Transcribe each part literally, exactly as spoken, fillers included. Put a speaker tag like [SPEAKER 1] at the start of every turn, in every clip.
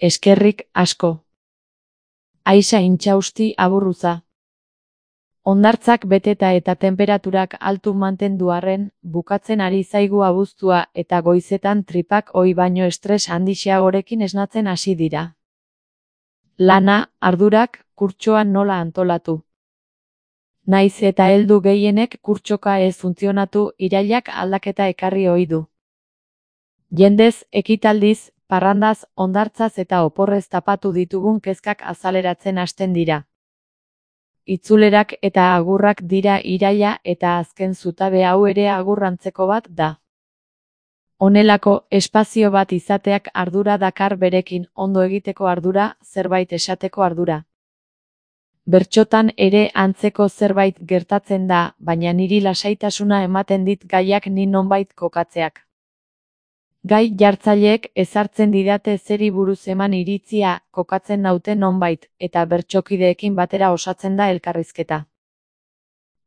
[SPEAKER 1] Eskerrik asko. Aixa intxausti aburruza. Hondartzak beteta eta tenperaturak altu mantendu arren, bukatzen ari zaigu abuztua eta goizetan tripak ohi baino estres handixeagorekin esnatzen hasi dira. Lana, ardurak, kurtsoan nola antolatu. Naiz eta heldu gehienek kurtsoka ez funtzionatu, irailak aldaketa ekarri ohi du. Jendez, ekitaldiz, parrandaz, hondartzaz eta oporrez tapatu ditugun kezkak azaleratzen hasten dira. Itzulerak eta agurrak dira iraila eta azken zutabe hau ere agurrantzeko bat da. Honelako espazio bat izateak ardura dakar berekin, ondo egiteko ardura, zerbait esateko ardura. Bertsotan ere antzeko zerbait gertatzen da, baina niri lasaitasuna ematen dit gaiak ni nonbait kokatzeak. Gai jartzaileek ezartzen didate zeri buruz eman iritzia, kokatzen naute nonbait, eta bertsokideekin batera osatzen da elkarrizketa.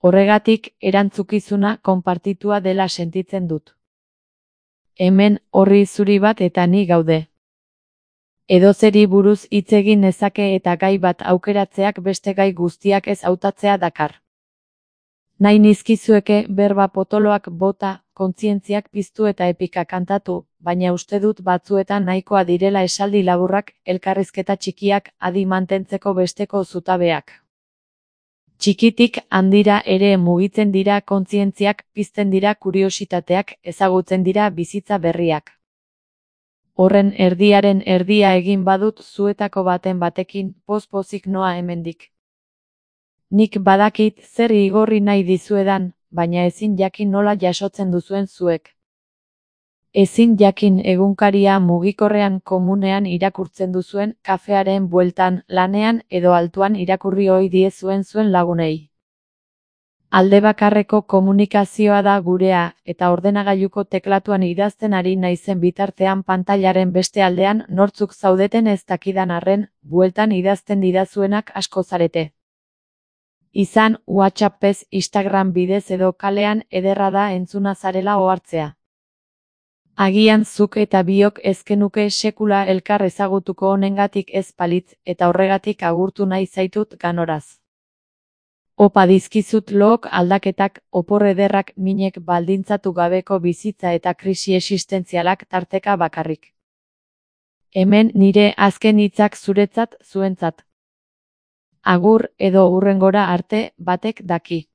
[SPEAKER 1] Horregatik, erantzukizuna konpartitua dela sentitzen dut. Hemen, orri zuri bat eta ni gaude. Edozeri buruz hitz egin nezake eta gai bat aukeratzeak beste gai guztiak ez hautatzea dakar. Nahi nizkizueke berba potoloak bota, kontzientziak piztu eta epika kantatu, baina uste dut batzuetan nahikoa direla esaldi laburrak, elkarrizketa txikiak, adi mantentzeko besteko zutabeak. Txikitik handira ere mugitzen dira kontzientziak, pizten dira kuriositateak, ezagutzen dira bizitza berriak. Horren erdiaren erdia egin badut zuetako baten batekin, poz-pozik noa hemendik. Nik badakit zer igorri nahi dizuedan, baina ezin jakin nola jasotzen duzuen zuek. Ezin jakin egunkaria mugikorrean komunean irakurtzen duzuen, kafearen bueltan, lanean edo altuan irakurri ohi diezuen zuen lagunei. Alde bakarreko komunikazioa da gurea, eta ordenagailuko teklatuan idazten ari naizen bitartean pantailaren beste aldean nortzuk zaudeten ez dakidan arren, bueltan idazten didazuenak asko zarete. Izan WhatsAppez, Instagram bidez edo kalean ederra da entzuna zarela ohartzea. Agian zuk eta biok ezkenuke sekula elkar ezagutuko honengatik ez palitz, eta horregatik agurtu nahi zaitut ganoraz. Opa dizkizut look aldaketak, opor ederrak minek baldintzatu gabeko bizitza eta krisi existentzialak tarteka bakarrik. Hemen nire azken hitzak zuretzat, zuentzat. Agur edo hurrengora arte, batek daki.